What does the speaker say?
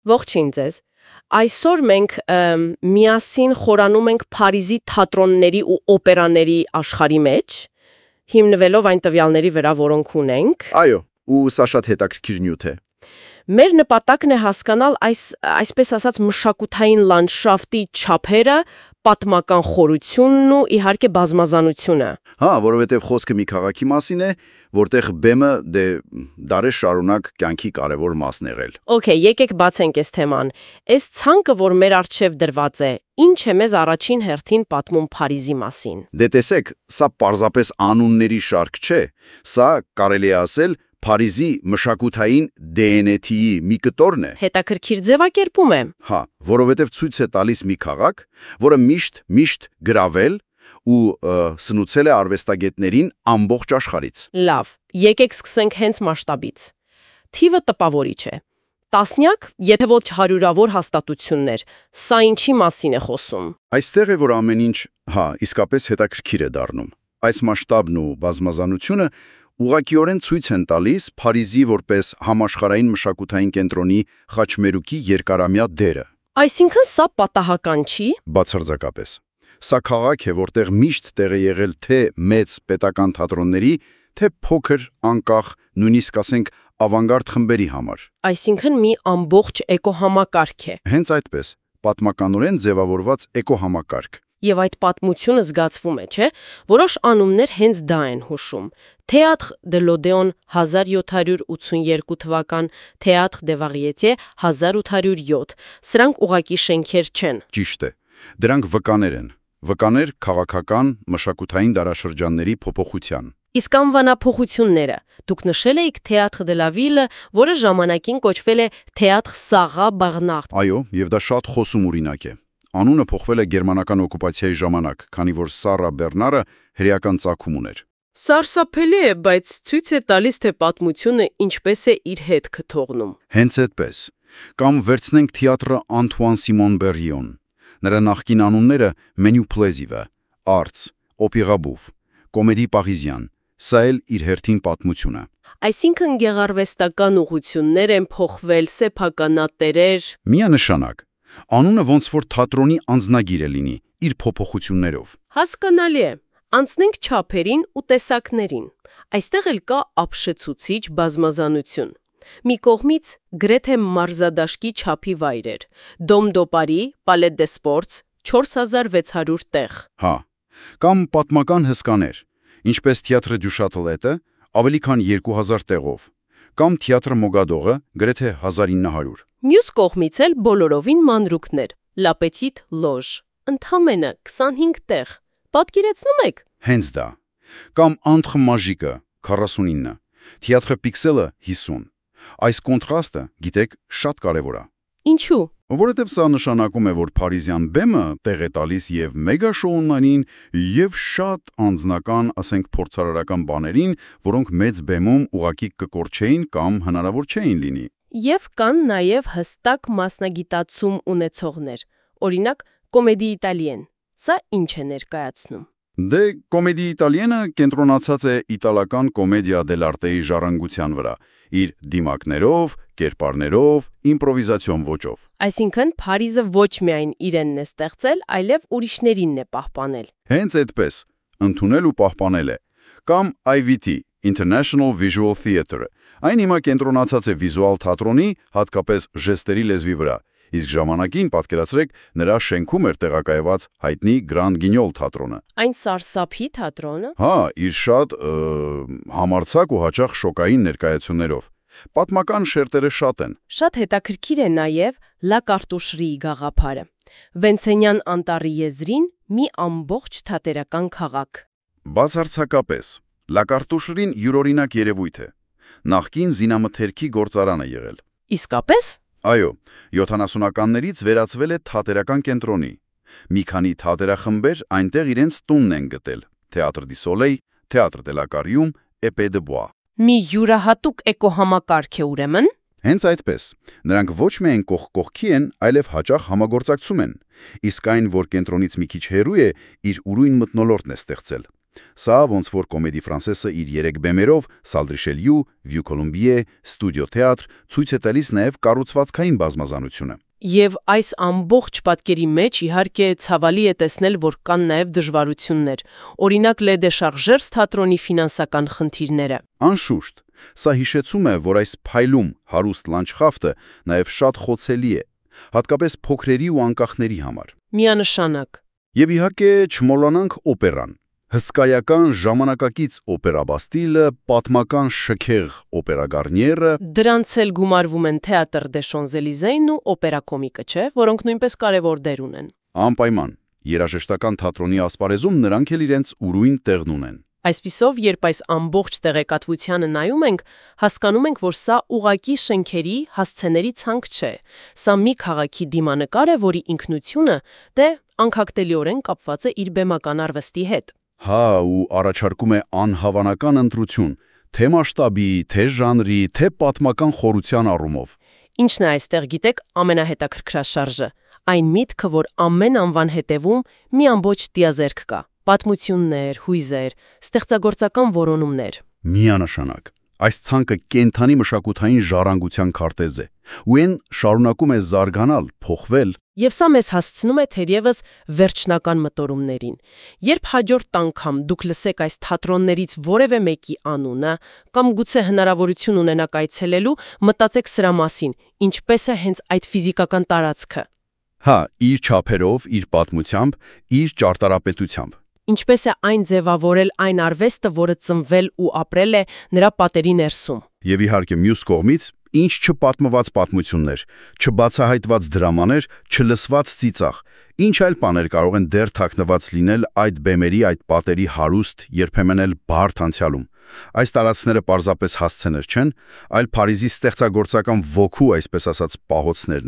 Ողջույն ձեզ։ Այսօր մենք միասին խորանում ենք Փարիզի թատրոնների ու օպերաների աշխարհի մեջ, հիմնվելով այն տվյալների վրա, որոնք ունենք։ Այո, ու սա շատ հետաքրքիր նյութ է։ Մեր նպատակն է հասկանալ այսպես ասած մշակութային լանդշաֆտի չափերը, պատմական խորությունն ու իհարկե բազմազանությունը։ Հա, որովհետև խոսքը մի քաղաքի մասին է, որտեղ բեմը դարեր շարունակ կյանքի կարևոր մասն եղել։ Okay, եկեք բացենք այս թեման։ Այս ցանկը, որ մեր առջև դրված է, ինչ է մեզ առաջին հերթին պատմում Փարիզի մասին։ Դե տեսեք, սա պարզապես անունների շարք չէ, սա կարելի է ասել Փարիզի մշակութային DNA-ի մի կտորն է։ Հետաքրքիր ձևակերպում է։ Հա, որովհետև ցույց է տալիս մի քաղաք, որը միշտ գրավել ու սնուցել է արվեստագետներին ամբողջ աշխարհից։ Լավ, եկեք սկսենք հենց մասշտաբից։ Թիվը տպավորիչ է։ Տասնյակ, եթե ոչ հարյուրավոր հաստատություններ։ Սա ինչի մասին է խոսում։ Այստեղ է, որ ամեն ինչ, իսկապես հետաքրքիր է դառնում։ Այս մասշտաբն ու բազմազանությունը ուղղակիորեն ցույց են տալիս Փարիզի որպես համաշխարհային մշակութային կենտրոնի խաչմերուկի երկարամյա դերը։ Այսինքն սա պատահական չի։ Բացարձակապես։ Սա քաղաք է, որտեղ միշտ տեղ է եղել թե մեծ պետական թատրոնների, թե փոքր, անկախ, նույնիսկ ասենք ավանգարդ խմբերի համար։ Այսինքն մի ամբողջ էկոհամակարգ է։ Հենց այդպես, պատմականորեն ձևավորված էկոհամակարգ։ Եվ այդ պատմությունը զգացվում է, չէ՞, որոշ անուններ հենց դա են հուշում։ Théâtre de l'Odéon 1782 թվական, Théâtre des Variétés 1807։ Սրանք ուղակի շենքեր չեն։ Ճիշտ է։ Դրանք վկաներ են։ Վկաներ քաղաքական, մշակութային դարաշրջանների փոփոխության։ Իսկ անվանափոխությունները։ Դուք նշել եք Théâtre de la Ville, որը ժամանակին կոչվել է Théâtre Sarah Bernhardt։ Այո, եւ դա շատ խոսում օրինակ է։ Անունը փոխվել է գերմանական օկուպացիայի ժամանակ, քանի որ Սարա Բեռնարը հրեական ծագում ուներ։ Սարսափելի է, բայց ցույց է տալիս, թե պատմությունը ինչպես է իր հետքը թողնում։ Հենց այդպես։ Կամ վերցնենք թիատրը Անտուան Սիմոն Բերիոն։ Նրա նախկին անունները Menu Plaisir, Arts, Opéra Bouffe, Comédie Parisienne։ Սա էլ իր հերթին պատմությունը։ Այսինքն գեղարվեստական ուղղություններ են փոխվել, սեփականատերեր։ Միանշանակ։ Անունը ոնց որ թատրոնի անձնագիր է լինի, իր փոփոխություններով։ Հասկանալի է։ Անցնենք չափերին ու տեսակներին։ Այստեղ էլ կա ապշեցուցիչ բազմազանություն։ Մի կողմից գրեթե մարզադաշտի չափի վայրեր։ Dôme de Paris, Palais des Sports, 4600 տեղ։ Հա, կամ պատմական հսկաներ, ինչպես Théâtre du Châtelet-ը, ավելի քան 2000 տեղով, կամ Théâtre Mogador-ը, գրեթե 1900։ Մյուս կողմից էլ բոլորովին մանրուքներ, La Petite Loge, ընդամենը 25 տեղ։ Պատկերացնում եք։ Հենց դա։ Կամ Entre Magique-ը, 49, Théâtre Pixel-ը 50։ Այս կոնտրաստը, գիտեք, շատ կարևոր է։ Ինչու։ Որովհետև սա նշանակում է, որ Փարիզյան բեմը տեղ է տալիս եւ մեգա շոուներին, եւ շատ անձնական, ասենք փորձարարական բաներին, որոնք մեծ բեմում ուղակի կկորչեին կամ հնարավոր չէին լինի։ Եվ կան նաև հստակ մասնագիտացում ունեցողներ, օրինակ Comédie Italienne։ Սա ինչ է ներկայացնում։ Դե Comédie Italienne-ը կենտրոնացած է իտալական Commedia dell'arte-ի ժառանգության վրա, իր դիմակներով, կերպարներով, իմպրովիզացիոն ոճով։ Այսինքն Փարիզը ոչ միայն իրենն է ստեղծել, այլև ուրիշներինն է պահպանել։ Հենց այդպես, ընդունել ու պահպանել է։ Կամ IVT, International Visual Theatre։ Այն հիմա կենտրոնացած է վիզուալ թատրոնի, հատկապես ժեստերի լեզվի վրա, իսկ ժամանակին պատկերացրեք նրա շենքում էր տեղակայված հայտնի Grand Guignol թատրոնը։ Այն սարսափի թատրոնը։ Հա, իր շատ համարձակ ու հաճախ շոկային ներկայացումներով։ Պատմական շերտերը շատ են։ Շատ հետաքրքիր է նաև La Cartoucherie գաղափարը։ Վենցենյան անտառի եզրին մի ամբողջ թատերական քաղաք։ Բացարձակապես, La Cartoucherie-ն յուրօրինակ երևույթ է։ Նախկին զինամթերքի գործարան է եղել։ Իսկապես։ Այո, 70-ականներից վերածվել է թատերական կենտրոնի։ Մի քանի թատերախմբեր այնտեղ իրենց տունն են գտել. Théâtre du Soleil, Théâtre de la Carrium, Épée de Bois։ Մի յուրահատուկ էկոհամակարգ է ուրեմն։ Հենց այդպես։ Նրանք ոչ միայն կողքի են, այլև հաճախ համագործակցում են։ Իսկ այն, որ կենտրոնից մի քիչ հեռու է, իր ուրույն մթնոլորտն է ստեղծել։ Սա ոնց որ Կոմեդի Ֆրանսեսը իր 3 բեմերով Salle Richelieu, Vue Colombier, Studio Theatre ցույց է տալիս նաև կառուցվածքային բազմազանությունը։ Եվ այս ամբողջ պատկերի մեջ իհարկե ցավալի է տեսնել, որ կան նաև դժվարություններ, օրինակ Le Déchargeurs թատրոնի ֆինանսական խնդիրները։ Անշուշտ, սա հիշեցում է, որ այս փայլում հարուստ լանդշաֆտը նաև շատ խոցելի է, հատկապես փոքրերի ու անկախների համար։ Միանշանակ։ Եվ իհարկե չմոռանանք օպերան։ Հսկայական ժամանակակից օպերաբաստիլը, պատմական շքեղ օպերագարնիերը, Դրանց էլ գումարվում են Théâtre des Champs-Élysées-ն ու օպերա կոմիկը, չէ, որոնք նույնպես կարևոր դեր ունեն։ Անպայման, երաժշտական թատրոնի ասպարեզում նրանք էլ իրենց ուրույն տեղն ունեն։ Այսպիսով, երբ այս ամբողջ տեղեկատվությանը նայում ենք, հասկանում ենք, որ սա ուղակի շենքերի, հասցեների ցանկ չէ։ Սա մի քաղաքի դիմանկար է, որի ինքնությունը դե անքակտելիորեն կապված է իր բեմական արվեստի հետ։ Հա, ու առաջարկում է անհավանական ընտրություն, թե մասշտաբի, թե ժանրի, թե պատմական խորության առումով։ Ինչն է այստեղ, գիտեք, ամենահետաքրքրաշարժը։ Այն միտքը, որ ամեն անվան հետևում մի ամբողջ տիազերք կա։ Պատմություններ, հույզեր, ստեղծագործական որոնումներ։ Միանշանակ։ Այս ցանկը կենթանի մշակութային ժառանգության քարտեզ է, ու այն շարունակում է զարգանալ, փոխվել։ Եվ սա մեզ հասցնում է թերևս վերջնական մտորումներին։ Երբ հաջորդ անգամ դուք լսեք այս թատրոններից որևէ մեկի անունը, կամ գուցե հնարավորություն ունենաք այցելելու, մտածեք սրա մասին, ինչպես է հենց այդ ֆիզիկական տարածքը։ Հա, իր չափերով, իր պատմությամբ, իր ճարտարապետությամբ։ Ինչպես է այն ձևավորել այն արվեստը, որը ծնվել ու ապրել է նրա պատերի ներսում։ Եվ իհարկե մյուս կողմից, ինչ չպատմված պատմություններ, չբացահայտված դրամաներ, չլսված ծիծաղ, ինչ այլ բաներ կարող են դեռ թաքնված լինել այդ բեմերի, այդ պատերի հարուստ, երբեմն էլ բարդ անցյալում։ Այս տարածքները պարզապես հասցեներ չեն, այլ Փարիզի ստեղծագործական ոգու, այսպես ասած, պահոցներն են։